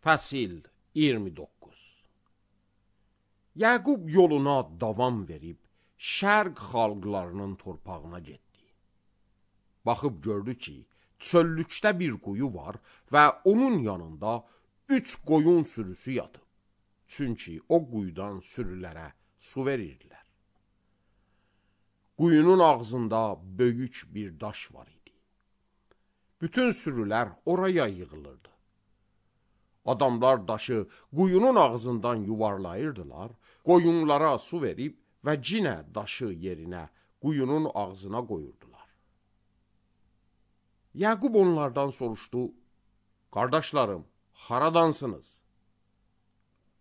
Fəsil 29. Yaqub yoluna davam verib, şərq xalqlarının torpağına getdi. Baxıb gördü ki, çöllükdə bir quyu var və onun yanında 3 qoyun sürüsü yatıb. Çünki o quyudan sürülərə su verirdilər. Quyunun ağzında böyük bir daş var idi. Bütün sürülər oraya yığılırdı. Adamlar daşı quyunun ağzından yuvarlayırdılar, qoyunlara su verib və cinə daşı yerinə quyunun ağzına qoyurdular. Yaqub onlardan soruşdu, qardaşlarım, haradansınız?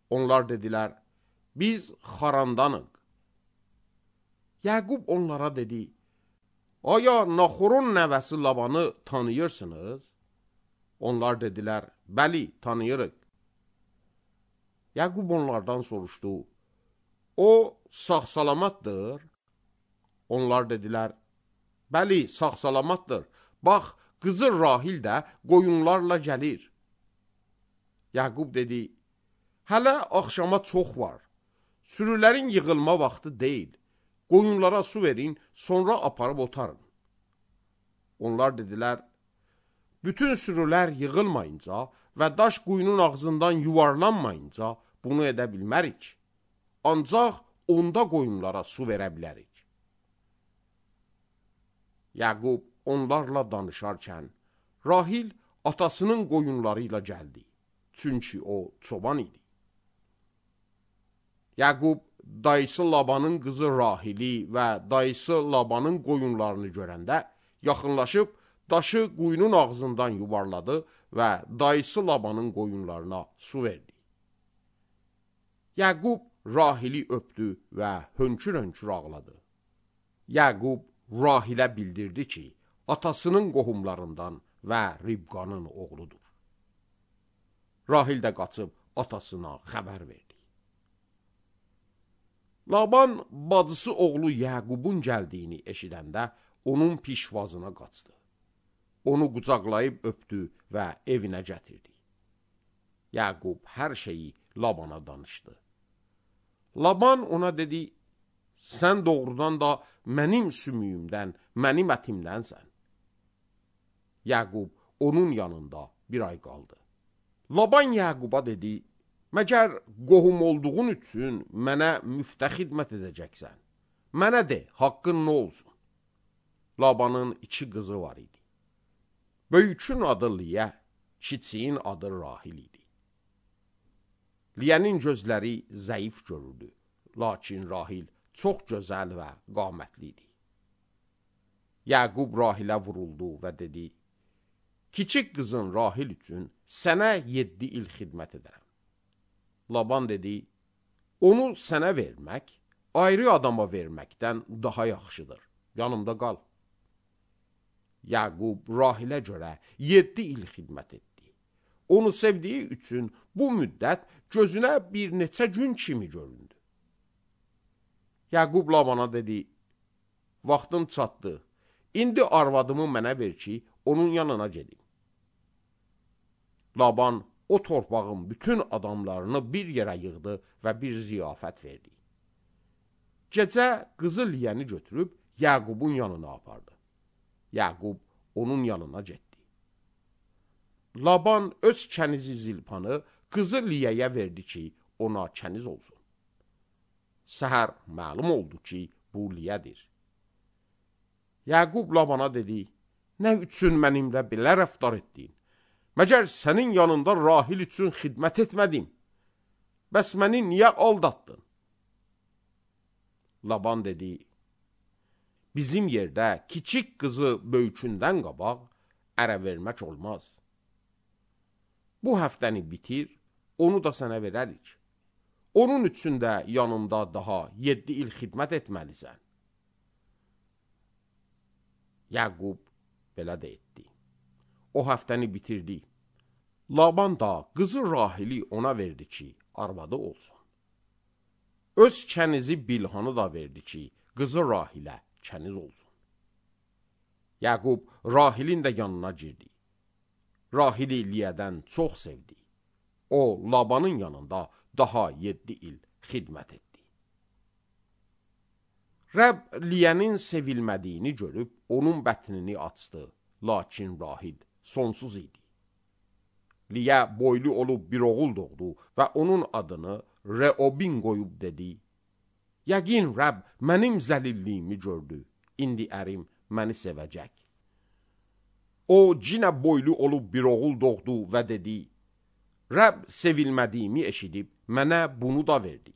Onlar dedilər, biz Xarandanıq. Yaqub onlara dedi, aya Naxorun nəvəsi Labanı tanıyırsınız? Onlar dedilər, bəli, tanıyırıq. Yaqub onlardan soruşdu, o sağ-salamatdır? Onlar dedilər, bəli, sağ-salamatdır. Bax, qızı Rahil də qoyunlarla gəlir. Yaqub dedi, hələ axşama çox var. Sürülərin yığılma vaxtı deyil. Qoyunlara su verin, sonra aparıb otarın. Onlar dedilər, bütün sürülər yığılmayınca və daş quyunun ağzından yuvarlanmayınca bunu edə bilmərik. Ancaq onda qoyunlara su verə bilərik. Yaqub onlarla danışarkən, Rahil atasının qoyunları ilə gəldi. Çünki o çoban idi. Yaqub dayısı Labanın qızı Rahili və dayısı Labanın qoyunlarını görəndə yaxınlaşıb daşı quyunun ağzından yuvarladı və dayısı Labanın qoyunlarına su verdi. Yaqub Rahili öpdü və hönkür-hönkür ağladı. Yaqub Rahilə bildirdi ki, atasının qohumlarından və Ribqanın oğludur. Rahil də qaçıb atasına xəbər verdi. Laban bacısı oğlu Yaqubun gəldiyini eşidəndə onun pişvazına qaçdı. Onu qucaqlayıb öpdü və evinə gətirdi. Yaqub hər şeyi Labana danışdı. Laban ona dedi, sən doğrudan da mənim sümüyümdən, mənim ətimdənsən. Yaqub onun yanında bir ay qaldı. Laban Yaquba dedi, məgər qohum olduğun üçün mənə müftə xidmət edəcəksən. Mənə de, haqqın nə olsun? Labanın 2 qızı var idi. Böyükün adı Liyə, kiçiyin adı Rahil idi. Liyənin gözləri zəif görürdü, lakin Rahil çox gözəl və qamətli idi. Yaqub Rahilə vuruldu və dedi, kiçik qızın Rahil üçün sənə 7 il xidmət edərəm. Laban dedi, onu sənə vermək, ayrı adama verməkdən daha yaxşıdır, yanımda qal. Yaqub Rahilə görə 7 il xidmət etdi. Onu sevdiyi üçün bu müddət gözünə bir neçə gün kimi göründü. Yaqub Labana dedi, vaxtım çatdı, indi arvadımı mənə ver ki, onun yanına gedim. Laban o torpağın bütün adamlarını bir yerə yığdı və bir ziyafət verdi. Gecə qızı Liyəni götürüb Yaqubun yanına apardı. Yaqub onun yanına getdi. Laban öz kənizi Zilpanı qızı Liyəyə verdi ki, ona kəniz olsun. Səhər məlum oldu ki, bu Liyədir. Yaqub Labana dedi, nə üçün mənimlə belə rəftar etdin? Məgər sənin yanında Rahil üçün xidmət etmədim? Bəs məni niyə aldatdın? Laban dedi, bizim yerdə kiçik qızı böyükündən qabaq ərə vermək olmaz. Bu həftəni bitir, onu da sənə verərik. Onun üçün də yanında daha 7 il xidmət etməlisən. Yaqub belə də etdi. O həftəni bitirdi. Laban da qızı Rahili ona verdi ki, arvadı olsun. Öz kənizi Bilhanı da verdi ki, qızı Rahilə kəniz olsun. Yaqub Rahilin də yanına girdi. Rahili Liyədən çox sevdi. O, Labanın yanında daha 7 il xidmət etdi. Rəbb Liyənin sevilmədiyini görüb, onun bətnini açdı, lakin Rahil sonsuz idi. Liyə boylu olub bir oğul doğdu və onun adını Reobin qoyub dedi, yəqin Rəbb mənim zəlilliyimi gördü, indi ərim məni sevəcək. O, cinə boylu olub bir oğul doğdu və dedi, Rəbb sevilmədiyimi eşidib, mənə bunu da verdi.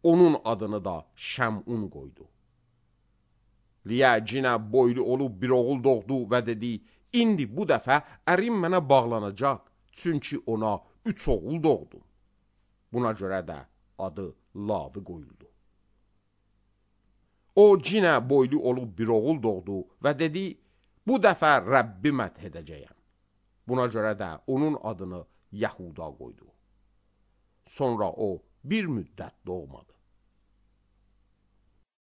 Onun adını da Şəmun qoydu. Liyə cinə boylu olub bir oğul doğdu və dedi, indi bu dəfə ərim mənə bağlanacaq, çünki ona 3 oğul doğdu. Buna görə də adı Lavi qoyuldu. O, cinə boylu olub bir oğul doğdu və dedi, bu dəfə Rəbbi məth edəcəyəm. Buna görə də onun adını Yahuda qoydu. Sonra o bir müddət doğmadı.